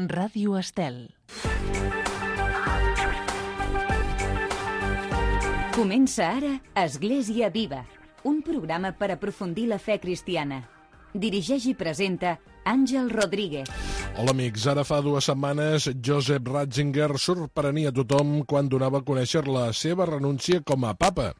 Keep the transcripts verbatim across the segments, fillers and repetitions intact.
Ràdio Estel. Comença ara Església Viva, un programa per aprofundir la fe cristiana. Dirigeix i presenta Àngel Rodríguez. Hola amics, ara fa dues setmanes Joseph Ratzinger sorprenia a tothom quan donava a conèixer la seva renúncia com a papa.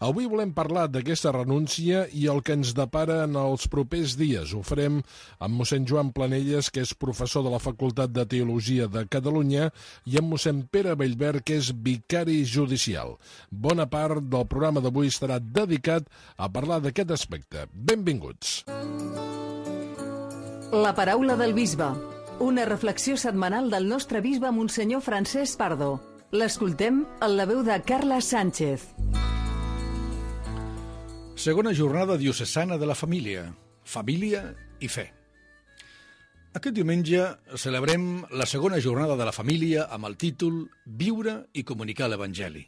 Avui volem parlar d'aquesta renúncia i el que ens depara en els propers dies. Ho farem amb mossèn Joan Planelles, que és professor de la Facultat de Teologia de Catalunya, i amb mossèn Pere Bellver, que és vicari judicial. Bona part del programa d'avui estarà dedicat a parlar d'aquest aspecte. Benvinguts. La paraula del bisbe. Una reflexió setmanal del nostre bisbe Monsenyor Francesc Pardo. L'escoltem en la veu de Carla Sánchez. Segona jornada diocesana de la família. Família i fe. Aquest diumenge celebrem la segona jornada de la família amb el títol Viure i comunicar l'Evangeli.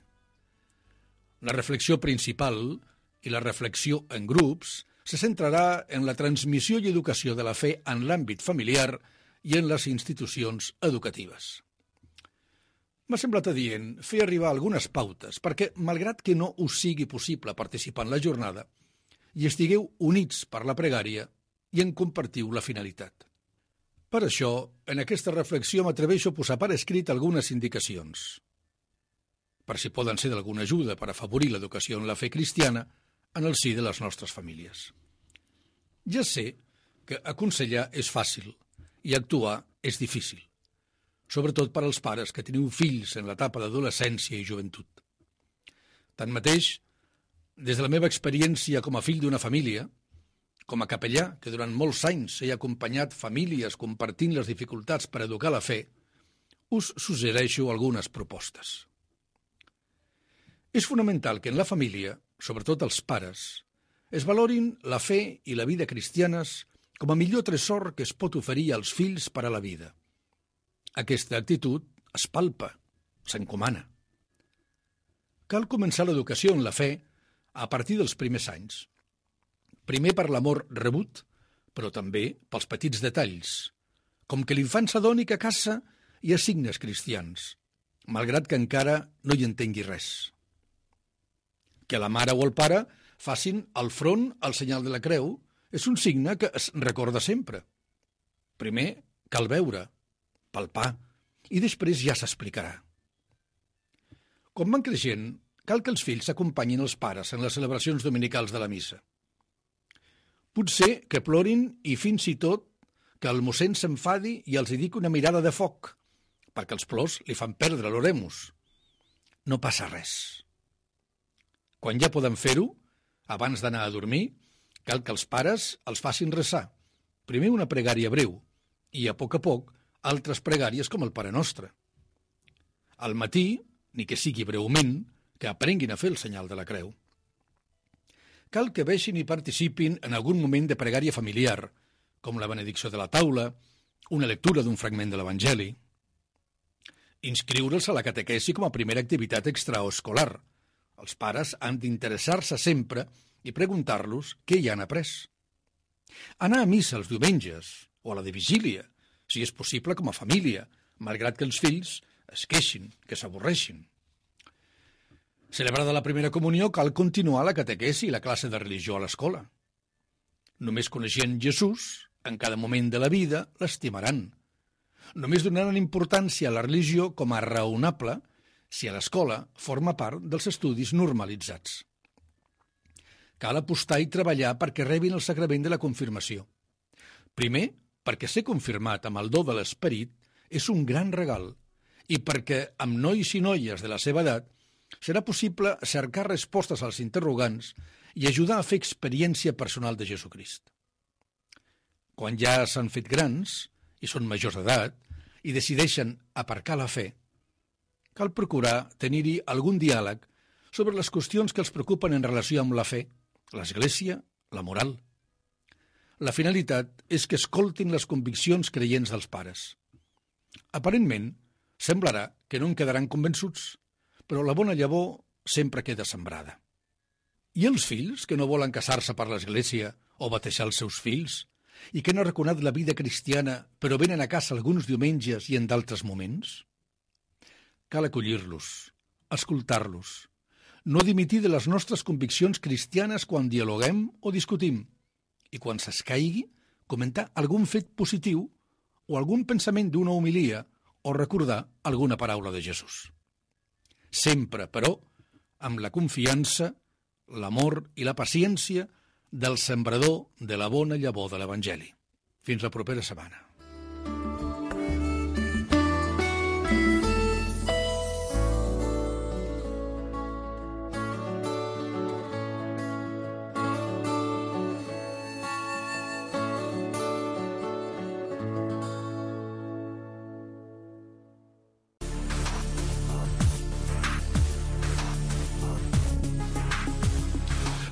La reflexió principal i la reflexió en grups se centrarà en la transmissió i educació de la fe en l'àmbit familiar i en les institucions educatives. M'ha semblat adient fer arribar algunes pautes perquè, malgrat que no us sigui possible participar en la jornada, hi estigueu units per la pregària i en compartiu la finalitat. Per això, en aquesta reflexió m'atreveixo a posar per escrit algunes indicacions, per si poden ser d'alguna ajuda per afavorir l'educació en la fe cristiana en el si de les nostres famílies. Ja sé que aconsellar és fàcil i actuar és difícil, sobretot per als pares que teniu fills en l'etapa d'adolescència i joventut. Tanmateix, des de la meva experiència com a fill d'una família, com a capellà que durant molts anys he acompanyat famílies compartint les dificultats per educar la fe, us suggereixo algunes propostes. És fonamental que en la família, sobretot els pares, es valorin la fe i la vida cristianes com a millor tresor que es pot oferir als fills per a la vida. Aquesta actitud es palpa, s'encomana. Cal començar l'educació en la fe a partir dels primers anys. Primer per l'amor rebut, però també pels petits detalls, com que l'infant s'adoni que a casa hi ha signes cristians, malgrat que encara no hi entengui res. Que la mare o el pare facin al front el senyal de la creu és un signe que es recorda sempre. Primer cal veure, palpar, i després ja s'explicarà. Quan van creixent, cal que els fills acompanyin els pares en les celebracions dominicals de la missa. Potser que plorin i fins i tot que el mossèn s'enfadi i els hi dic una mirada de foc, perquè els plors li fan perdre l'oremus. No passa res. Quan ja poden fer-ho, abans d'anar a dormir, cal que els pares els facin resar. Primer una pregària breu i, a poc a poc, altres pregàries com el Pare Nostre. Al matí, ni que sigui breument, que aprenguin a fer el senyal de la creu. Cal que vegin i participin en algun moment de pregària familiar, com la benedicció de la taula, una lectura d'un fragment de l'Evangeli. Inscriure'ls a la catequesi com a primera activitat extraescolar. Els pares han d'interessar-se sempre i preguntar-los què hi han après. Anar a missa els diumenges o a la de vigília, si és possible com a família, malgrat que els fills es queixin, que s'avorreixin. Celebrada la primera comunió, cal continuar la catequesi i la classe de religió a l'escola. Només coneixent Jesús, en cada moment de la vida, l'estimaran. Només donaran importància a la religió com a raonable si a l'escola forma part dels estudis normalitzats. Cal apostar i treballar perquè rebin el sacrament de la confirmació. Primer, perquè ser confirmat amb el do de l'esperit és un gran regal i perquè amb nois i noies de la seva edat serà possible cercar respostes als interrogants i ajudar a fer experiència personal de Jesucrist. Quan ja s'han fet grans i són majors d'edat i decideixen aparcar la fe, cal procurar tenir-hi algun diàleg sobre les qüestions que els preocupen en relació amb la fe, l'Església, la moral. La finalitat és que escoltin les conviccions creients dels pares. Aparentment, semblarà que no en quedaran convençuts, però la bona llavor sempre queda sembrada. I els fills que no volen casar-se per l'Església o batejar els seus fills, i que han arraconat la vida cristiana però venen a casa alguns diumenges i en d'altres moments? Cal acollir-los, escoltar-los, no dimitir de les nostres conviccions cristianes quan dialoguem o discutim i quan s'escaigui comentar algun fet positiu o algun pensament d'una homilia o recordar alguna paraula de Jesús. Sempre, però, amb la confiança, l'amor i la paciència del sembrador de la bona llavor de l'Evangeli. Fins la propera setmana.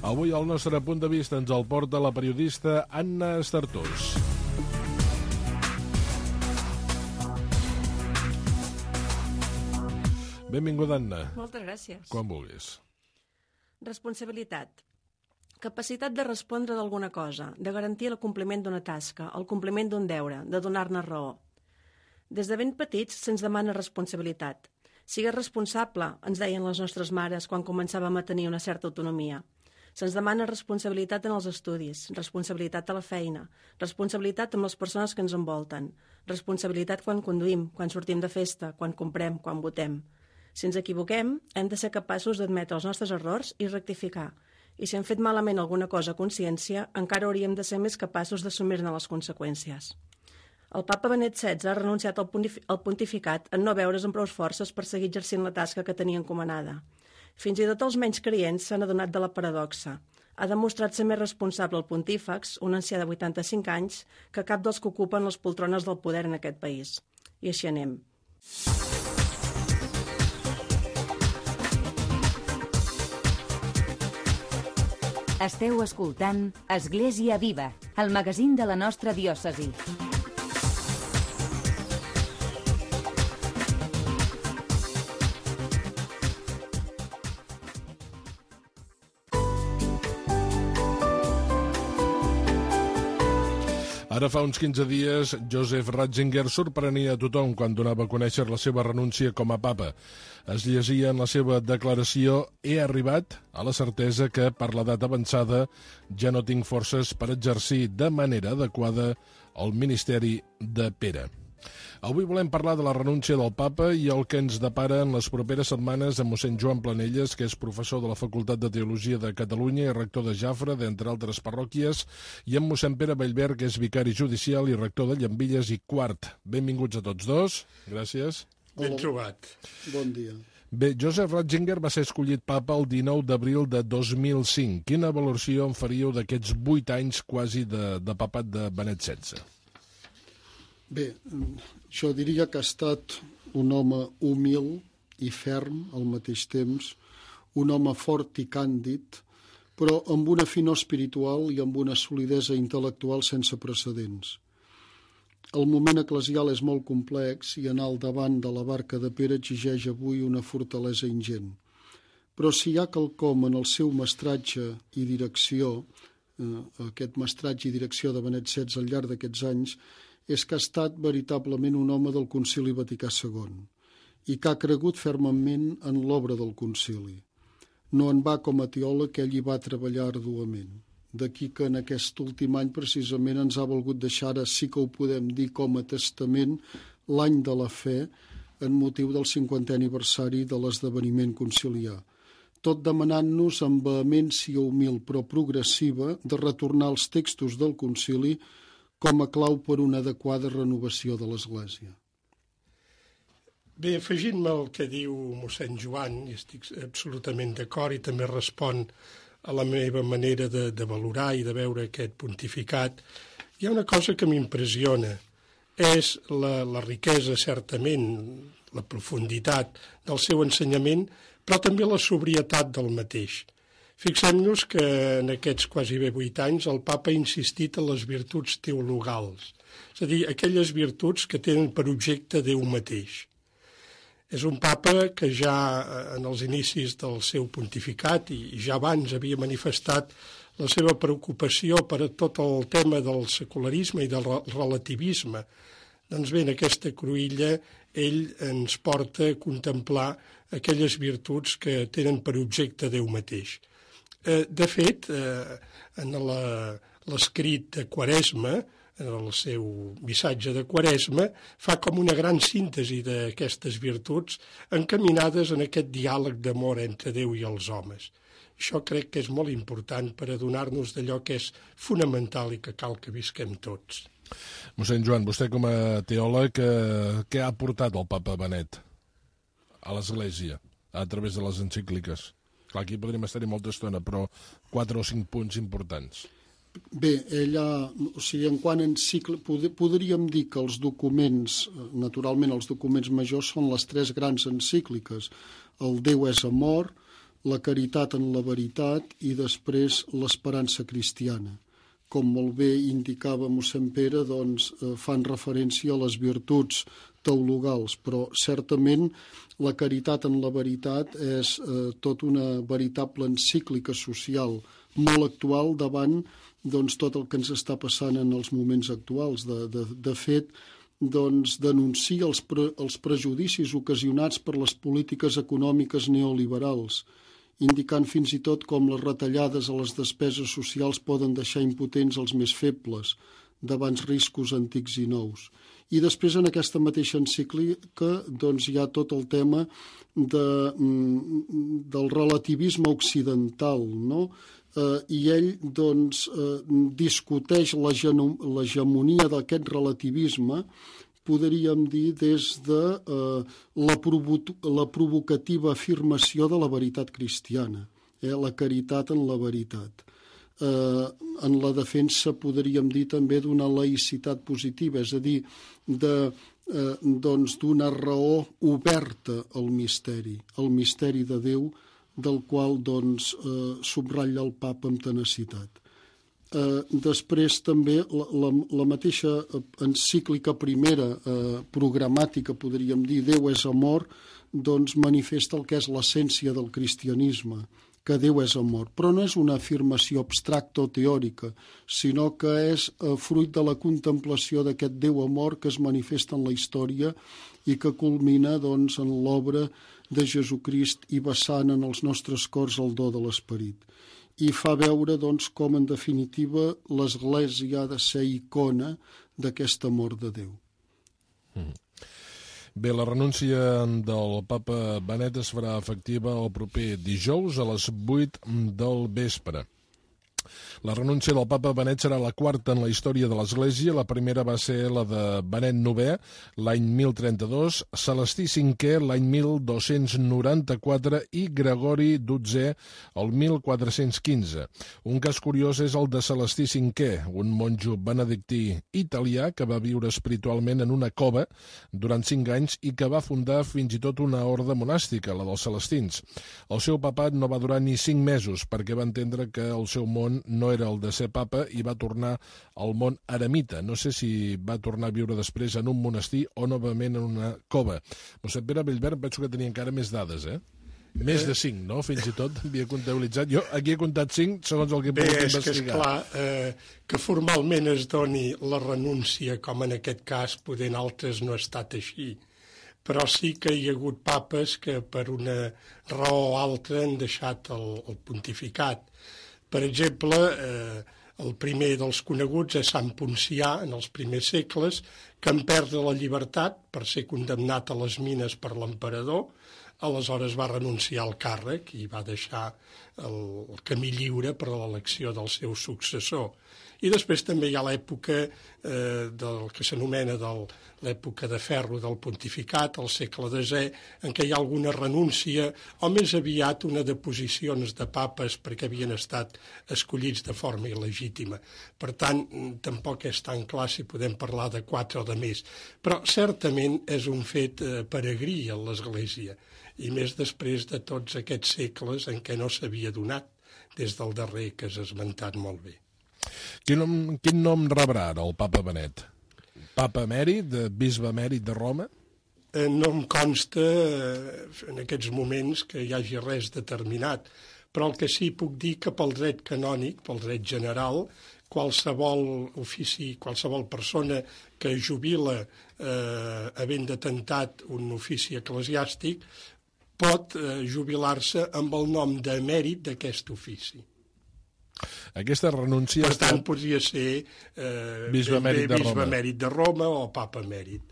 Avui el nostre punt de vista ens el porta la periodista Anna Estartós. Benvinguda, Anna. Moltes gràcies. Quan vulguis. Responsabilitat. Capacitat de respondre d'alguna cosa, de garantir el compliment d'una tasca, el compliment d'un deure, de donar-ne raó. Des de ben petits se'ns demana responsabilitat. Sigues responsable, ens deien les nostres mares quan començàvem a tenir una certa autonomia. Se'ns demana responsabilitat en els estudis, responsabilitat a la feina, responsabilitat amb les persones que ens envolten, responsabilitat quan conduïm, quan sortim de festa, quan comprem, quan votem. Si ens equivoquem, hem de ser capaços d'admetre els nostres errors i rectificar. I si hem fet malament alguna cosa a consciència, encara hauríem de ser més capaços d'assumir-ne les conseqüències. El papa Benet setze ha renunciat al pontificat en no veure's amb prou forces per seguir exercint la tasca que tenia encomanada. Fins i tot els menys creients s'han adonat de la paradoxa. Ha demostrat ser més responsable el pontífex, un ancià de vuitanta-cinc anys, que cap dels que ocupen les poltrones del poder en aquest país. I així anem. Esteu escoltant Església Viva, el magazín de la nostra diòcesi. Ara fa uns quinze dies, Joseph Ratzinger sorprenia a tothom quan donava a conèixer la seva renúncia com a papa. Es llegia en la seva declaració «He arribat a la certesa que, per l'edat avançada, ja no tinc forces per exercir de manera adequada el ministeri de Pere». Avui volem parlar de la renúncia del papa i el que ens depara en les properes setmanes amb mossèn Joan Planelles, que és professor de la Facultat de Teologia de Catalunya i rector de Jafre, d'entre altres parròquies, i amb mossèn Pere Bellver, que és vicari judicial i rector de Llambilles i Quart. Benvinguts a tots dos. Gràcies. Ben trobat. Bon dia. Bé, Joseph Ratzinger va ser escollit papa el dinou d'abril de dos mil cinc. Quina valoració en faríeu d'aquests vuit anys quasi de, de papat de Benet setze? Bé, jo diria que ha estat un home humil i ferm al mateix temps, un home fort i càndid, però amb una finor espiritual i amb una solidesa intel·lectual sense precedents. El moment eclesial és molt complex i anar al davant de la barca de Pere exigeix avui una fortalesa ingent. Però si hi ha quelcom en el seu mestratge i direcció, eh, aquest mestratge i direcció de Benet setze al llarg d'aquests anys, és que ha estat veritablement un home del Concili Vaticà segon i que ha cregut fermament en l'obra del concili. No en va com a teòleg, que ell hi va treballar arduament. D'aquí que en aquest últim any precisament ens ha volgut deixar, ara sí que ho podem dir com a testament, l'any de la fe en motiu del cinquantè aniversari de l'esdeveniment conciliar. Tot demanant-nos amb vehemència humil però progressiva de retornar als textos del concili com a clau per una adequada renovació de l'Església. Bé, afegint-me al que diu mossèn Joan, i estic absolutament d'acord i també respon a la meva manera de, de valorar i de veure aquest pontificat, hi ha una cosa que m'impressiona, és la, la riquesa, certament, la profunditat del seu ensenyament, però també la sobrietat del mateix. Fixem-nos que en aquests quasi bé vuit anys el papa ha insistit en les virtuts teologals, és a dir, aquelles virtuts que tenen per objecte Déu mateix. És un papa que ja en els inicis del seu pontificat i ja abans havia manifestat la seva preocupació per a tot el tema del secularisme i del relativisme. Doncs bé, en aquesta cruïlla ell ens porta a contemplar aquelles virtuts que tenen per objecte Déu mateix. De fet, en l'escrit de Quaresma, en el seu missatge de Quaresma, fa com una gran síntesi d'aquestes virtuts encaminades en aquest diàleg d'amor entre Déu i els homes. Això crec que és molt important per adonar-nos d'allò que és fonamental i que cal que visquem tots. Mossèn Joan, vostè com a teòleg, què ha aportat el papa Benet a l'Església a través de les encícliques? Clar, aquí podríem estar-hi molta estona, però quatre o cinc punts importants. Bé, ella, o sigui, en quant a encíclic, podríem dir que els documents, naturalment els documents majors són les tres grans encícliques, el Déu és amor, la caritat en la veritat i després l'esperança cristiana. Com molt bé indicava mossèn Pere, doncs fan referència a les virtuts teologals, però certament la caritat en la veritat és eh, tot una veritable encíclica social molt actual davant doncs, tot el que ens està passant en els moments actuals. De, de, de fet, doncs, denuncia els, pre, els prejudicis ocasionats per les polítiques econòmiques neoliberals, indicant fins i tot com les retallades a les despeses socials poden deixar impotents els més febles davant riscos antics i nous. I després, en aquesta mateixa encíclica, doncs, hi ha tot el tema de, del relativisme occidental, no? Eh, I ell doncs, eh, discuteix l'hegemonia d'aquest relativisme, podríem dir, des de eh, la, provo la provocativa afirmació de la veritat cristiana, eh, la caritat en la veritat. Eh, en la defensa, podríem dir, també d'una laïcitat positiva, és a dir, de, eh, doncs, d'una raó oberta al misteri, al misteri de Déu, del qual doncs, eh, subratlla el papa amb tenacitat. Eh, després també la, la, la mateixa encíclica primera eh, programàtica, podríem dir, Déu és amor, doncs manifesta el que és l'essència del cristianisme, que Déu és amor. Però no és una afirmació abstracta o teòrica, sinó que és eh, fruit de la contemplació d'aquest Déu amor que es manifesta en la història i que culmina doncs, en l'obra de Jesucrist i vessant en els nostres cors el do de l'Esperit. I fa veure doncs, com, en definitiva, l'Església ha de ser icona d'aquest amor de Déu. Mm. Bé, la renúncia del papa Benet es farà efectiva el proper dijous a les vuit del vespre. La renúncia del papa Benet serà la quarta en la història de l'Església. La primera va ser la de Benet novè, l'any mil trenta-dos, Celestí cinquè, l'any mil dos-cents noranta-quatre i Gregori dotzè, el mil quatre-cents quinze. Un cas curiós és el de Celestí cinquè, un monjo benedictí italià que va viure espiritualment en una cova durant cinc anys i que va fundar fins i tot una orde monàstica, la dels celestins. El seu papat no va durar ni cinc mesos perquè va entendre que el seu món no era el de ser papa i va tornar al món eremita. No sé si va tornar a viure després en un monestir o novament en una cova. Mossèn Pere Bellverd penso que tenia encara més dades, eh? Més de cinc, no? Fins i tot havia comptabilitzat. Jo aquí he comptat cinc, segons el que he pogut investigar. Bé, és que és clar eh, que formalment es doni la renúncia, com en aquest cas, poder en altres no ha estat així. Però sí que hi ha hagut papes que per una raó o altra han deixat el, el pontificat. Per exemple, eh, el primer dels coneguts és Sant Poncià, en els primers segles, que en perd la llibertat per ser condemnat a les mines per l'emperador, aleshores va renunciar al càrrec i va deixar el, el camí lliure per a l'elecció del seu successor. I després també hi ha l'època eh, del que s'anomena l'època de ferro del pontificat, al segle desè, en què hi ha alguna renúncia o més aviat una deposicions de papes perquè havien estat escollits de forma il·legítima. Per tant, tampoc és tan clar si podem parlar de quatre o de més. Però certament és un fet eh, peregrí a l'Església, i més després de tots aquests segles en què no s'havia donat, des del darrer que has esmentat molt bé. Quin nom, quin nom rebrà ara el papa Benet? Papa emèrit, de bisbe emèrit de Roma? Eh, no em consta eh, en aquests moments que hi hagi res determinat, però el que sí puc dir que pel dret canònic, pel dret general, qualsevol ofici, qualsevol persona que jubila eh, havent detentat un ofici eclesiàstic pot eh, jubilar-se amb el nom d'emèrit d'aquest ofici. Aquesta renúncia... Per tant, podria ser eh, bisbe emèrit de Roma. bisbe emèrit de Roma o papa emèrit.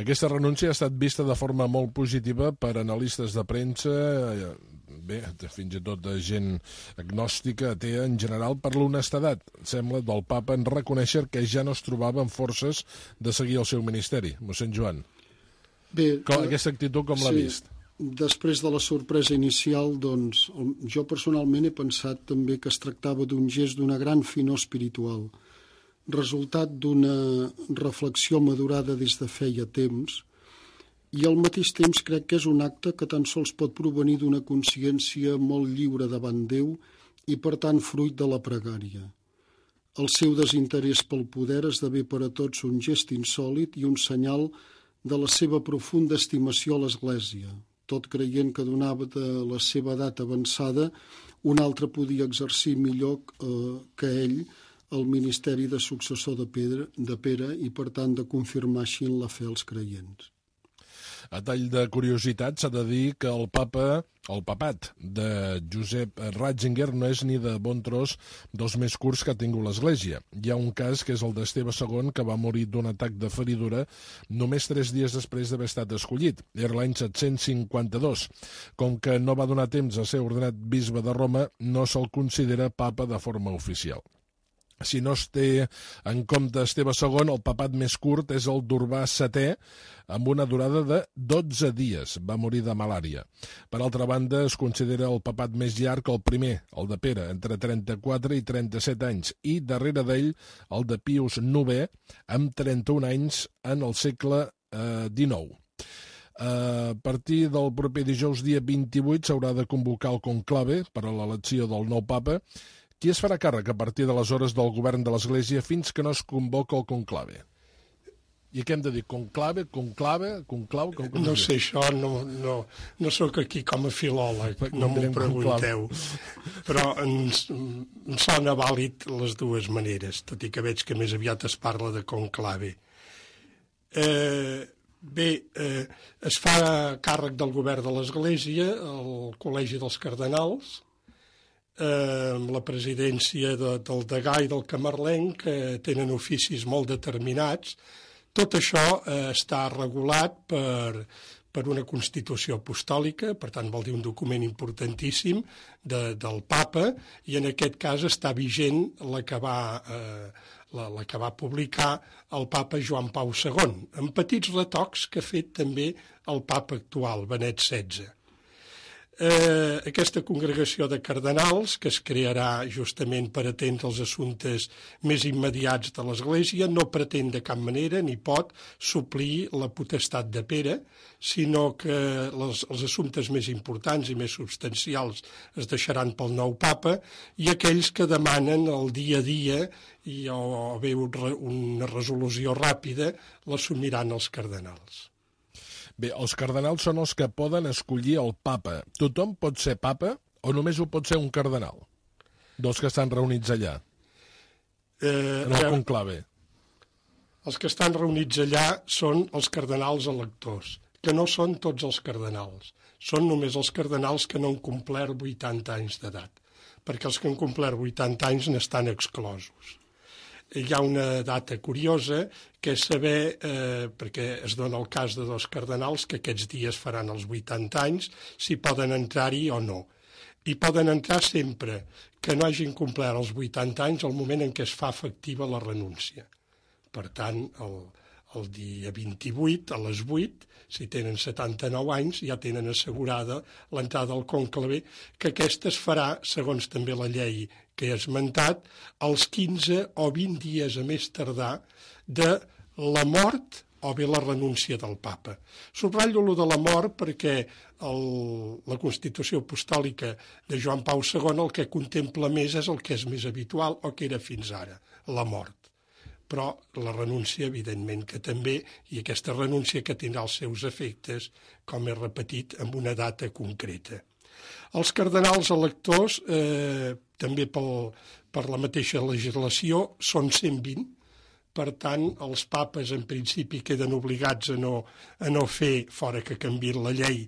Aquesta renúncia ha estat vista de forma molt positiva per analistes de premsa, bé, fins i tot de gent agnòstica, atea en general, per l'honestedat, sembla, del papa en reconèixer que ja no es trobava amb forces de seguir el seu ministeri. Mossèn Joan, Bé, com, aquesta actitud com l'ha sí, vist? Després de la sorpresa inicial, doncs, jo personalment he pensat també que es tractava d'un gest d'una gran finor espiritual, resultat d'una reflexió madurada des de feia temps, i al mateix temps crec que és un acte que tan sols pot provenir d'una consciència molt lliure davant Déu i, per tant, fruit de la pregària. El seu desinterès pel poder esdevé per a tots un gest insòlit i un senyal de la seva profunda estimació a l'Església, tot creient que donava de la seva edat avançada un altre podia exercir millor eh, que ell el ministeri de successor de Pere, de Pere i, per tant, de confirmar així en la fe als creients. A tall de curiositat, s'ha de dir que el papa, el papat de Josep Ratzinger no és ni de bon tros dels més curts que ha tingut l'Església. Hi ha un cas que és el d'Esteve segon, que va morir d'un atac de feridura només tres dies després d'haver estat escollit. Era l'any set-cents cinquanta-dos. Com que no va donar temps a ser ordenat bisbe de Roma, no se'l considera papa de forma oficial. Si no es té en compte Esteve segon, el papat més curt és el d'Urbà setè, amb una durada de dotze dies. Va morir de malària. Per altra banda, es considera el papat més llarg el primer, el de Pere, entre trenta-quatre i trenta-set anys, i darrere d'ell el de Pius novè, amb trenta-un anys en el segle eh, dinou. A partir del proper dijous, dia vint-i-vuit, s'haurà de convocar el conclave per a l'elecció del nou papa. Qui es farà càrrec a partir d'aleshores del govern de l'Església fins que no es convoca el conclave? I què hem de dir? Conclave? Conclave? Conclau? Com, com no sé, això no, no, no sóc aquí com a filòleg, no m'ho pregunteu. Però ens, em sona vàlid les dues maneres, tot i que veig que més aviat es parla de conclave. Eh, bé, eh, es fa càrrec del govern de l'Església el Col·legi dels Cardenals, amb la presidència de, del degà i del camarlenc, que tenen oficis molt determinats. Tot això eh, està regulat per, per una Constitució apostòlica, per tant vol dir un document importantíssim de, del papa, i en aquest cas està vigent la que va, eh, la, la que va publicar el papa Joan Pau segon, amb petits retocs que ha fet també el papa actual, Benet setze. Eh, aquesta congregació de cardenals, que es crearà justament per atendre els assumptes més immediats de l'Església, no pretén de cap manera ni pot suplir la potestat de Pere, sinó que les, els assumptes més importants i més substancials es deixaran pel nou papa, i aquells que demanen el dia a dia i, o, o bé una resolució ràpida l'assumiran els cardenals. Bé, els cardenals són els que poden escollir el papa. Tothom pot ser papa o només ho pot ser un cardenal? Dels que estan reunits allà, eh, en el conclave. Els que estan reunits allà són els cardenals electors, que no són tots els cardenals. Són només els cardenals que no han complert vuitanta anys d'edat, perquè els que han complert vuitanta anys n'estan exclosos. Hi ha una data curiosa, que és saber, eh, perquè es dona el cas de dos cardenals que aquests dies faran els vuitanta anys, si poden entrar-hi o no. I poden entrar sempre que no hagin complert els vuitanta anys al moment en què es fa efectiva la renúncia. Per tant, el, el dia vint-i-vuit, a les vuit, si tenen setanta-nou anys, ja tenen assegurada l'entrada al conclave, que aquesta es farà, segons també la llei que he esmentat, als quinze o vint dies a més tardar de la mort o bé la renúncia del papa. Subratllo lo de la mort perquè el, la Constitució apostòlica de Joan Pau segon el que contempla més és el que és més habitual o que era fins ara, la mort. Però la renúncia, evidentment, que també, i aquesta renúncia que tindrà els seus efectes, com he repetit, amb una data concreta. Els cardenals electors, eh, també pel, per la mateixa legislació, són cent vint. Per tant, els papes en principi queden obligats a no, a no fer, fora que canviïn la llei,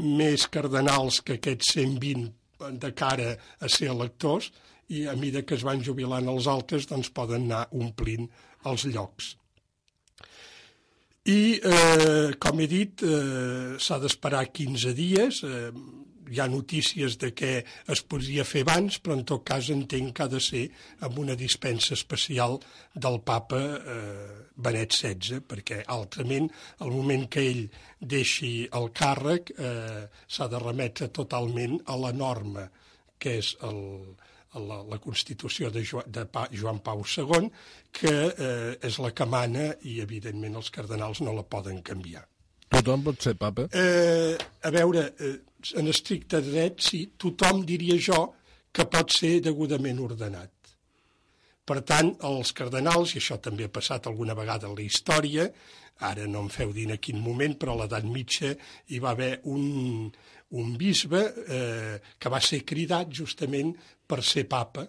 més cardenals que aquests cent vint de cara a ser electors, i a mesura que es van jubilant els altres, doncs poden anar omplint els llocs. I, eh, com he dit, eh, s'ha d'esperar quinze dies. Eh, hi ha notícies de que es podria fer abans, però en tot cas entenc que ha de ser amb una dispensa especial del papa eh, Benet setze, perquè altrament, al moment que ell deixi el càrrec, eh, s'ha de remetre totalment a la norma, que és el, la, la Constitució de, jo, de pa, Joan Pau segon, que eh, és la que mana i, evidentment, els cardenals no la poden canviar. Tothom pot ser papa? Eh, a veure, eh, en estricte dret, sí, tothom, diria jo, que pot ser degudament ordenat. Per tant, els cardenals, i això també ha passat alguna vegada en la història, ara no em feu dir en quin moment, però a l'edat mitja hi va haver un, un bisbe eh, que va ser cridat justament per ser papa,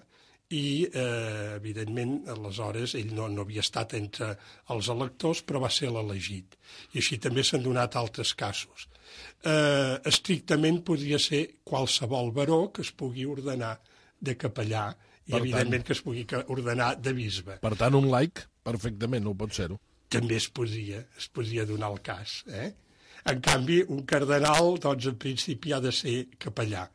i, eh, evidentment, aleshores ell no, no havia estat entre els electors, però va ser l'elegit. I així també s'han donat altres casos. Eh, estrictament podria ser qualsevol baró que es pugui ordenar de capellà i, per evidentment, tant, que es pugui ordenar de bisbe. Per tant, un laic, perfectament, no pot ser-ho. També es podria, es podria donar el cas. Eh? En canvi, un cardenal, doncs, en principi ha de ser capellà.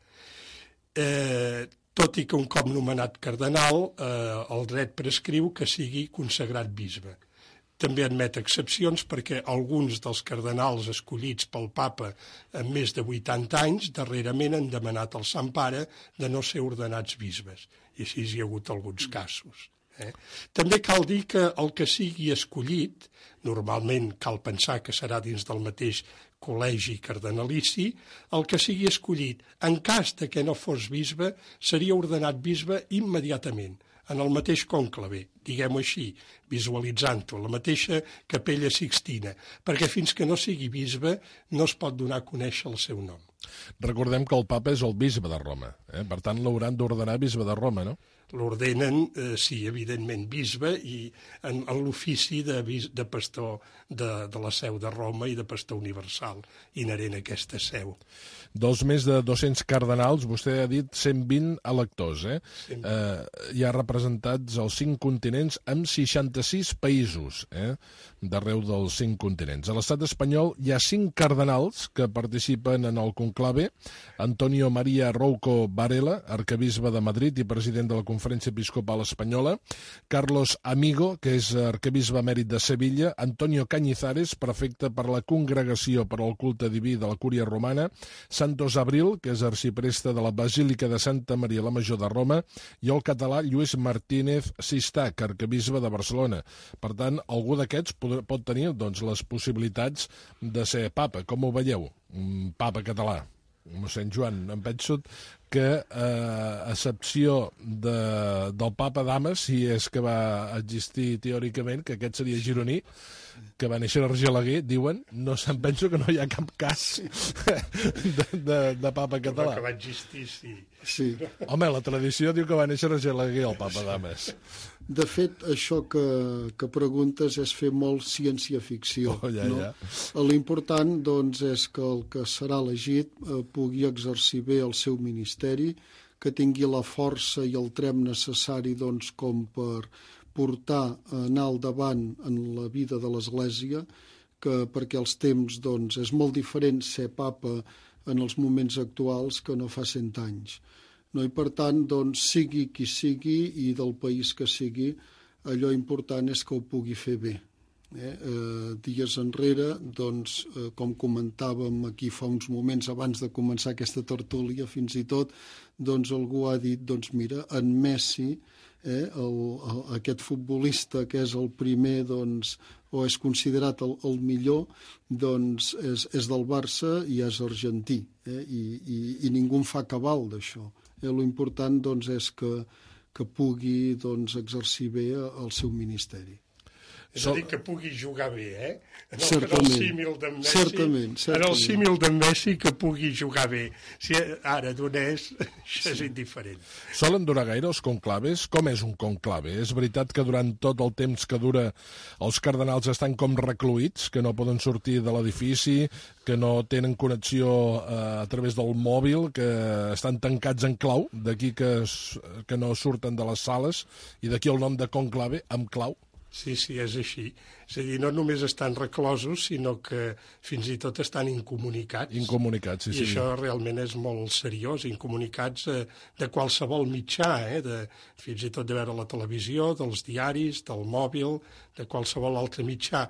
Eh, tot i que un cop nomenat cardenal, eh, el dret prescriu que sigui consagrat bisbe. També admet excepcions perquè alguns dels cardenals escollits pel papa amb més de vuitanta anys darrerament han demanat al Sant Pare de no ser ordenats bisbes. I així hi ha hagut alguns casos. Eh? També cal dir que el que sigui escollit, normalment cal pensar que serà dins del mateix col·legi cardenalici, el que sigui escollit, en cas de que no fos bisbe, seria ordenat bisbe immediatament, en el mateix conclave, diguem-ho així, visualitzant-ho, la mateixa capella Sixtina, perquè fins que no sigui bisbe no es pot donar a conèixer el seu nom. Recordem que el papa és el bisbe de Roma, eh? Per tant l'hauran d'ordenar bisbe de Roma, no? L'ordenen, eh, sí, evidentment, bisbe i en, en l'ofici de, de pastor de, de la seu de Roma i de pastor universal, inherent a aquesta seu. Dels més de dos-cents cardenals, vostè ha dit cent vint electors, eh? eh hi ha representats als cinc continents amb seixanta-sis països, eh? d'arreu dels cinc continents. A l'estat espanyol hi ha cinc cardenals que participen en el conclave: Antonio María Rouco Varela, arquebisbe de Madrid i president de la Conferència Episcopal Espanyola; Carlos Amigo, que és arquebisbe emèrit de Sevilla; Antonio Cañizares, prefecte per la Congregació per al Culte Diví de la Cúria Romana; Santos Abril, que és arcipreste de la Basílica de Santa Maria la Major de Roma; i el català Lluís Martínez Sistac, arquebisbe de Barcelona. Per tant, algú d'aquests pot tenir doncs, les possibilitats de ser papa. Com ho veieu? Un papa català. Mossèn Joan, em penso que, eh, a excepció de, del papa Damas, si és que va existir teòricament, que aquest seria gironí, que va néixer a Argelaguer, diuen, no se'n penso que no hi ha cap cas de, de, de papa català. Que va existir, sí. Sí. Home, la tradició diu que va néixer a Argelaguer, el papa Damas. De fet, això que, que preguntes és fer molt ciència-ficció. Oh, ja, no? ja. L'important, doncs, és que el que serà elegit eh, pugui exercir bé el seu ministeri, que tingui la força i el trem necessari, doncs, com per portar, anar al davant en la vida de l'Església, que perquè els temps, doncs, és molt diferent ser papa en els moments actuals que no fa cent anys. No? I per tant, doncs, sigui qui sigui i del país que sigui, allò important és que ho pugui fer bé. Eh? Eh, dies enrere, doncs, eh, com comentàvem aquí fa uns moments abans de començar aquesta tertúlia, fins i tot, doncs, algú ha dit, doncs, mira, en Messi, eh, el, el, aquest futbolista que és el primer, doncs, o és considerat el, el millor, doncs, és, és del Barça i és argentí, eh? I, i, i ningú en fa cabal d'això. Eh, l'important, doncs, és que, que pugui, doncs, exercir bé el seu ministeri. És a dir, que pugui jugar bé, eh? En el, certament, en el símil d'en Messi, certament, certament. en el símil d'en Messi que pugui jugar bé. Si ara donés, això és indiferent. Solen durar gaire els conclaves? Com és un conclave? És veritat que durant tot el temps que dura els cardenals estan com recluïts, que no poden sortir de l'edifici, que no tenen connexió eh, a través del mòbil, que estan tancats en clau, d'aquí que, que no surten de les sales, i d'aquí el nom de conclave, amb clau? Sí, sí, és així. És a dir, no només estan reclosos, sinó que fins i tot estan incomunicats. Incomunicats, sí, I sí. I això realment és molt seriós, incomunicats eh, de qualsevol mitjà, eh, de, fins i tot de veure la televisió, dels diaris, del mòbil, de qualsevol altre mitjà.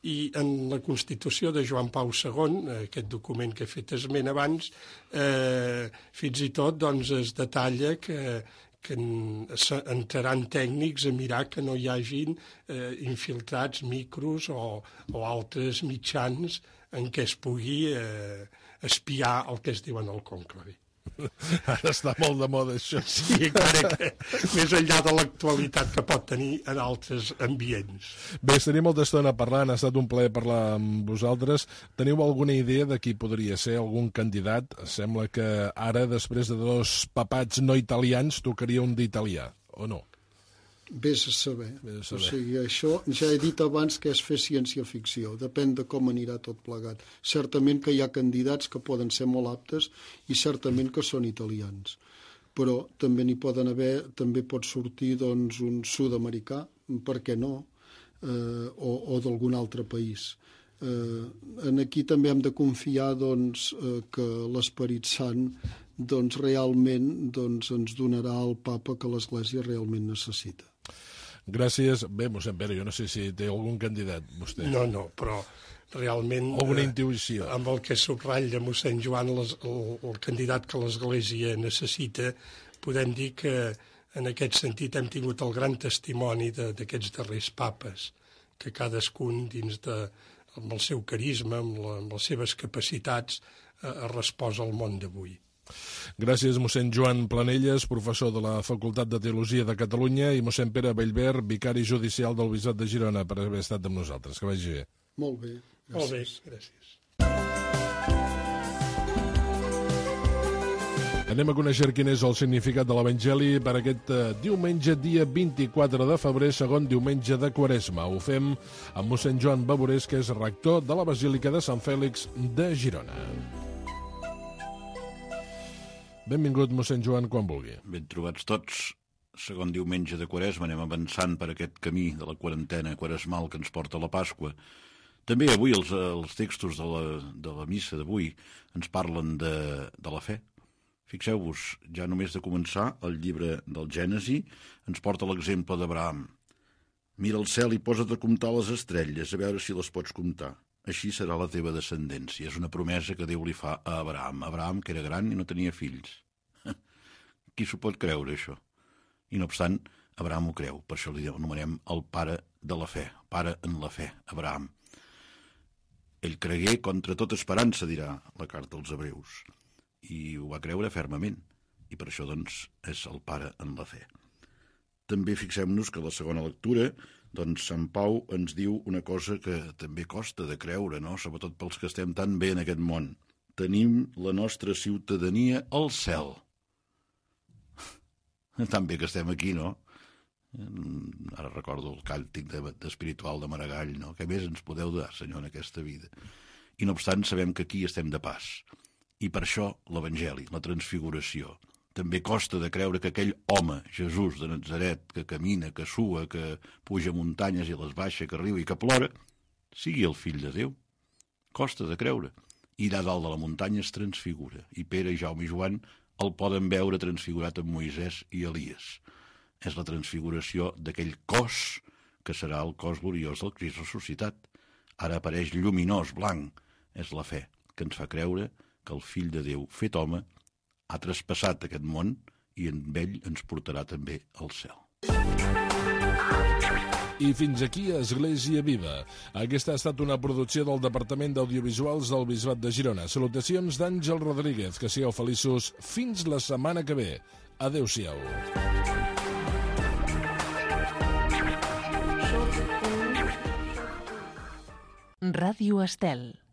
I en la Constitució de Joan Pau segon, eh, aquest document que he fet esment abans, eh, fins i tot doncs, es detalla que que entraran tècnics a mirar que no hi hagin eh, infiltrats micros o, o altres mitjans en què es pugui eh, espiar el que es diu en el conclave. Ara està molt de moda, això. Sí, encara que més enllà de l'actualitat que pot tenir en altres ambients. Bé, tenim molta estona parlant, ha estat un plaer parlar amb vosaltres. Teniu alguna idea de qui podria ser algun candidat? Sembla que ara, després de dos papats no italians, tocaria un d'italià, o no? Vés a saber. Vés a saber. O sigui, això ja he dit abans que és fer ciència-ficció. Depèn de com anirà tot plegat. Certament que hi ha candidats que poden ser molt aptes i certament que són italians. Però també n'hi poden haver, també pot sortir doncs, un sud-americà, per què no, eh, o, o d'algun altre país. Eh, en aquí també hem de confiar doncs, eh, que l'Esperit Sant doncs, realment doncs, ens donarà el papa que l'Església realment necessita. Gràcies. Bé, mossèn Pere, jo no sé si té algun candidat, vostè. No, no, però realment... Alguna eh, intuïció. Amb el que subratlla mossèn Joan, les, el, el candidat que l'Església necessita, podem dir que en aquest sentit hem tingut el gran testimoni d'aquests darrers papes, que cadascun dins de, amb el seu carisma, amb, la, amb les seves capacitats, eh, ha respost al món d'avui. Gràcies, mossèn Joan Planelles, professor de la Facultat de Teologia de Catalunya, i mossèn Pere Bellver, vicari judicial del Bisbat de Girona, per haver estat amb nosaltres. Que vagi bé. Molt bé. Gràcies. Molt bé, gràcies. Anem a conèixer quin és el significat de l'Evangeli per aquest uh, diumenge, dia vint-i-quatre de febrer, segon diumenge de Quaresma. Ho fem amb mossèn Joan Baborés, que és rector de la Basílica de Sant Fèlix de Girona. Benvingut, mossèn Joan, quan vulgui. Ben trobats tots. Segon diumenge de Quaresma, anem avançant per aquest camí de la quarantena quaresmal que ens porta a la Pasqua. També avui els, els textos de la, de la missa d'avui ens parlen de, de la fe. Fixeu-vos, ja només de començar, el llibre del Gènesi ens porta l'exemple d'Abraham. Mira el cel i posa't a comptar les estrelles, a veure si les pots comptar. Així serà la teva descendència. És una promesa que Déu li fa a Abraham. Abraham, que era gran i no tenia fills. Qui s'ho pot creure, això? I no obstant, Abraham ho creu. Per això li anomenem el pare de la fe. Pare en la fe, Abraham. Ell cregué contra tota esperança, dirà la carta als Hebreus. I ho va creure fermament. I per això, doncs, és el pare en la fe. També fixem-nos que la segona lectura, doncs Sant Pau ens diu una cosa que també costa de creure, no? Sobretot pels que estem tan bé en aquest món. Tenim la nostra ciutadania al cel. Tan bé que estem aquí, no? Ara recordo el càntic d'espiritual de Maragall, no? Què més ens podeu dar, Senyor, en aquesta vida? I no obstant, sabem que aquí estem de pas. I per això l'Evangeli, la transfiguració. També costa de creure que aquell home, Jesús de Natzaret, que camina, que sua, que puja muntanyes i les baixa, que riu i que plora, sigui el fill de Déu. Costa de creure. I allà dalt de la muntanya es transfigura. I Pere, Jaume i Joan el poden veure transfigurat amb Moisès i Elies. És la transfiguració d'aquell cos que serà el cos gloriós del Crist ressuscitat. Ara apareix lluminós, blanc. És la fe que ens fa creure que el fill de Déu, fet home, ha traspassat aquest món i amb ell ens portarà també al cel. I fins aquí Església Viva. Aquesta ha estat una producció del Departament d'Audiovisuals del Bisbat de Girona. Salutacions d'Àngel Rodríguez. Que sigueu feliços fins la setmana que ve. Adéu-siau. Ràdio Estel.